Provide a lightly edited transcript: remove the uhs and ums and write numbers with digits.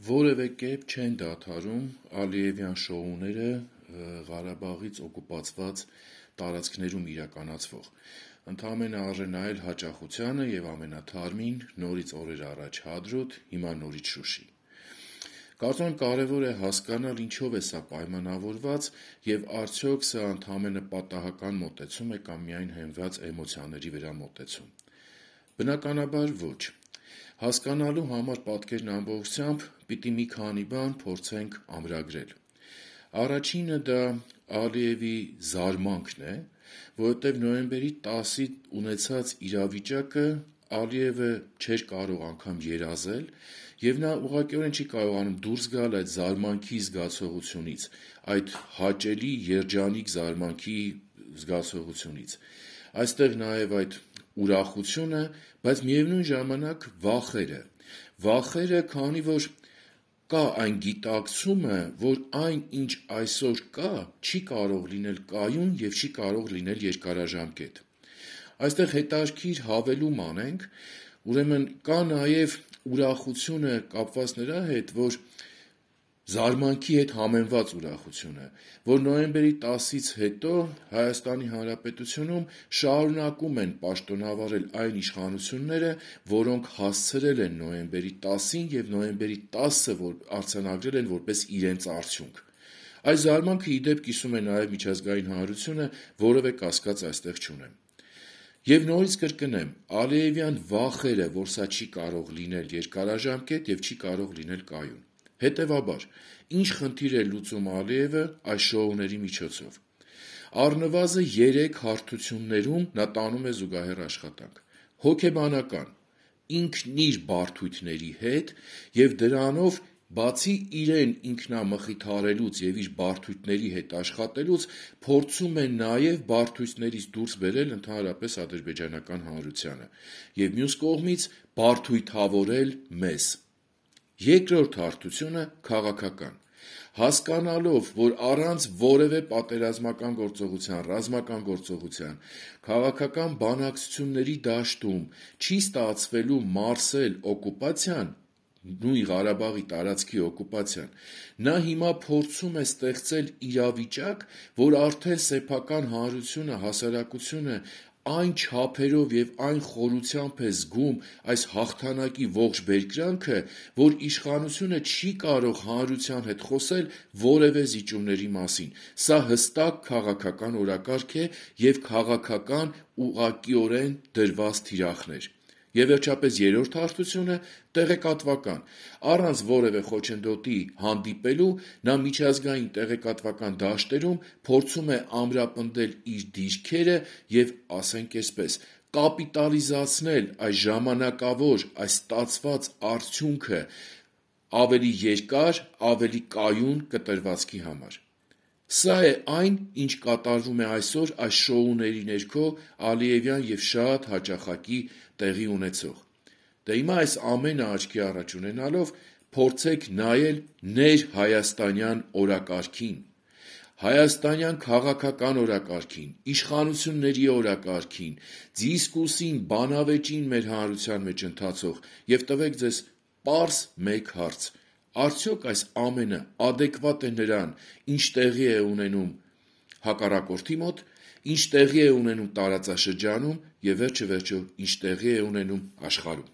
որևէ կերպ չեն դադարում Ալիևյան շոուները Ղարաբաղից օկուպացված տարածքներում իրականացվող: Ընդամենը արժե նայել հաճախությանը և ամենաթարմին նորից օրեր առաջ Հադրութ, հիմա նորից Շուշի: Կարծում եմ կարևոր է հասկանալ ինչով է սա պայմանավորված և արդյոք սա ընդամենը պատահական մոտեցում է կամ միայն հենված էմոցիաների վրա մոտեցում: Բնականաբար ոչ: Հասկանալու համար պատկերն ամբողջությամբ պիտի մի քանի բան փորձենք ամրագրել: Առաջինը դա Ալիևի զարմանքն է, որովհետև նոյեմբերի 10-ին ունեցած իրավիճակը Ալիևը չէր կարող անգամ երազել և նա ուղղակիորեն չի կարողանում դուրս գալ այդ զարմանքի զգացողությունից, այդ հաճելի երջանիկ զարմանքի զգացողությունից: Այստեղ նաև այդ ուրախությունը, բայց միևնույն ժամանակ վախերը, քանի որ կա այն գիտակցումը, որ այն ինչ այսօր կա չի կարող լինել կայուն և չի կարող լինել երկարաժամկետ: Այստեղ հետաքրքիր հավելում անենք, ուրեմն կա նաև ուրախությունը կապված նրա հետ, զարմանքի հետ համեմված ուրախությունը, որ նոյեմբերի 10-ից հետո ՀՀ-ում շարունակում են պաշտոնավարել այն իշխանությունները, որոնք հասցրել են նոյեմբերի 10-ին և նոյեմբերի 10-ը արձանագրել են որպես իրենց արդյունք: Այս զարմանքը ի դեպ կիսում է նաև միջազգային հանրությունը, որևէ կասկած այստեղ չունեմ: Եվ նորից կրկնեմ, Ալիևյան վախերը, որ սա չի կարող լինել երկարաժամկետ և չի կարող լինել կայուն: Հետևաբար, ինչ խնդիր է լուծում Ալիևը այս շոուների միջոցով: Առնվազն 3 հարթություններում նա տանում է զուգահեռ աշխատանք: Հոգեբանական՝ ինքն իր բարդույթների հետ և դրանով բացի իրեն ինքնամխիթարելուց և իր բարդույթների հետ աշխատելուց փորձում է նաև բարդույթներից դուրս բերել ընդհանրապես ադրբեջանական հանրությանը և մյուս կողմից բարդույթավորել մեզ: Երկրորդ հարթությունը քաղաքական: Հասկանալով, որ առանց որևէ պատերազմական գործողության, ռազմական գործողության, քաղաքական բանակցությունների դաշտում չի ստացվելու մարսել օկուպացիան, նույն Ղարաբաղի տարածքի օկուպացիան, նա հիմա փորձում է ստեղծել իրավիճակ, որ արդեն սեփական հանրությունը, հասարակությունը այն չափերով և այն խորությամբ է զգում այս հաղթանակի ողջ բերկրանքը, որ իշխանությունը չի կարող հանրության հետ խոսել որևէ զիջումների մասին: Սա հստակ քաղաքական օրակարգ է և քաղաքական ուղղակիորեն դրված թիրախներ: Եվ վերջապես երրորդ հարթությունը տեղեկատվական: Առանց որևէ խոչընդոտի հանդիպելու նա միջազգային տեղեկատվական դաշտերում փորձում է ամրապնդել իր դիրքերը և կապիտալիզացնել այս ժամանակավոր, այս ստացված արդյունքը ավելի երկար, ավելի կայուն կտրվածքի համար: Սա է այն, ինչ կատարվում է այսօր այս շոուների ներքո Ալիևյան և շատ հաճախակի տեղի ունեցող: Հիմա այս ամենը աչքի առաջ ունենալով փորձեք նայել ներհայաստանյան օրակարգին, հայաստանյան քաղաքական օրակարգին, իշխանությունների օրակարգին, դիսկուրսին, բանավեճին մեր հանրության մեջ ընթացող և տվեք ձեզ պարզ մեկ հարց. արդյոք այս ամենը ադեկվատ է նրան, ինչ տեղի է ունենում հակառակորդի մոտ, ինչ տեղի է ունենում տարածաշրջանում և վերջը ինչ տեղի է ունենում աշխարհում: